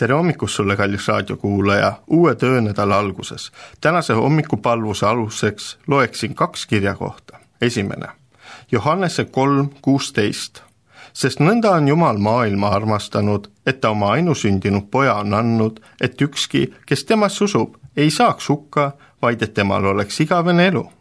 tere hommikust sulle, kallis raadiokuulaja, uue töönädala alguses. Tänase hommikupalvuse aluseks loeksin 2 kirjakohta. Esimene, Johannese 3:16. Sest nõnda on Jumal maailma armastanud, et ta oma ainusündinud poja on andnud, et ükski, kes temast usub, ei saaks hukka, vaid et temal oleks igavene elu.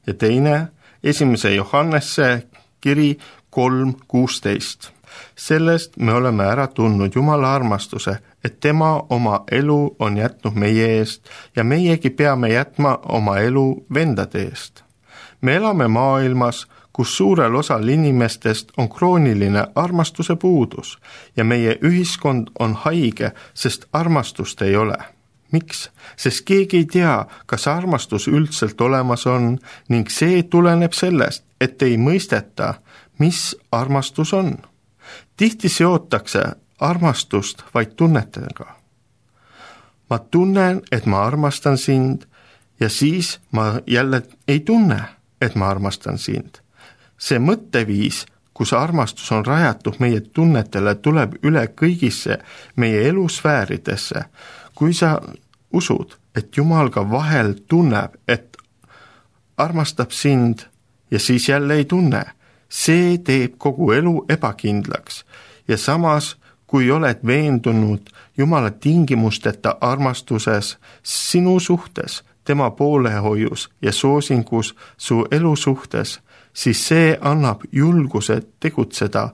Ja teine, 1. Johannese kiri 3:16. Sellest me oleme ära tundnud Jumala armastuse, et tema oma elu on jätnud meie eest ja meiegi peame jätma oma elu vendade eest. Me elame maailmas, kus suurel osal inimestest on krooniline armastuse puudus ja meie ühiskond on haige, sest armastust ei ole. Miks? Sest keegi ei tea, kas armastus üldselt olemas on ning see tuleneb sellest, et ei mõisteta, mis armastus on. Tihti seotakse armastust vaid tunnetega. Ma tunnen, et ma armastan sind ja siis ma jälle ei tunne, et ma armastan sind. See mõtteviis, kus armastus on rajatud meie tunnetele, tuleb üle kõigisse meie elusfääridesse. Kui sa usud, et Jumal ka vahel tunneb, et armastab sind ja siis jälle ei tunne, see teeb kogu elu ebakindlaks ja samas, kui oled veendunud Jumala tingimusteta armastuses sinu suhtes, tema poolehoius ja soosingus su elu suhtes, siis see annab julguse tegutseda,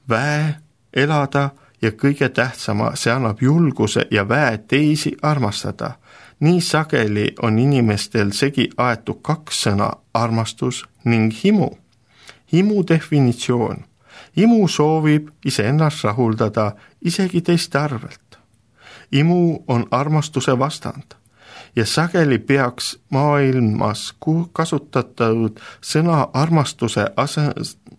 väe, elada ja kõige tähtsama, see annab julguse ja väe teisi armastada. Nii sageli on inimestel segi aetud 2 sõna, armastus ning himu. Himu definitsioon. Imu soovib iseennast rahuldada isegi teiste arvelt. Imu on armastuse vastand ja sageli peaks maailmas kasutatud sõna armastuse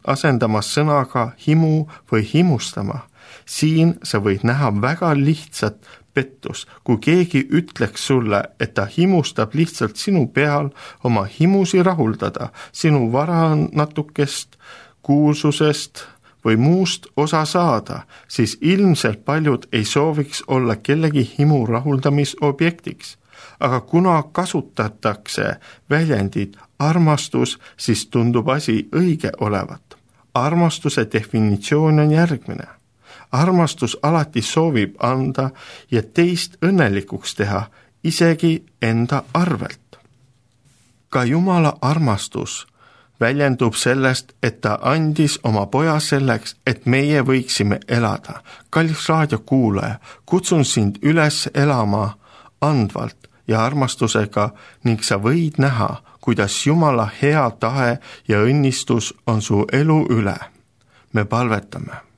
asendamas sõnaga himu või himustama. Siin sa võid näha väga lihtsat pettus, kui keegi ütleks sulle, et ta himustab lihtsalt sinu peal oma himusi rahuldada, sinu vara natukest, kuulsusest või muust osa saada, siis ilmselt paljud ei sooviks olla kellegi himu rahuldamisobjektiks. Aga kuna kasutatakse väljendit armastus, siis tundub asi õige olevat. Armastuse definitsioon on järgmine. Armastus alati soovib anda ja teist õnnelikuks teha, isegi enda arvelt. Ka Jumala armastus väljendub sellest, et ta andis oma poja selleks, et meie võiksime elada. Kallis raadiokuulaja, kutsun sind üles elama andvalt ja armastusega ning sa võid näha, kuidas Jumala hea tahe ja õnnistus on su elu üle. Me palvetame.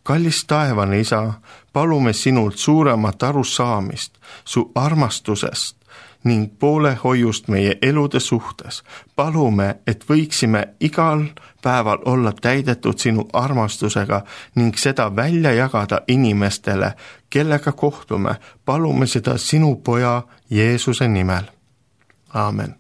Kallis taevane Isa, palume sinult suuremat arusaamist su armastusest ning poolehoiust meie elude suhtes. Palume, et võiksime igal päeval olla täidetud sinu armastusega ning seda välja jagada inimestele, kellega kohtume. Palume seda sinu poja Jeesuse nimel. Aamen.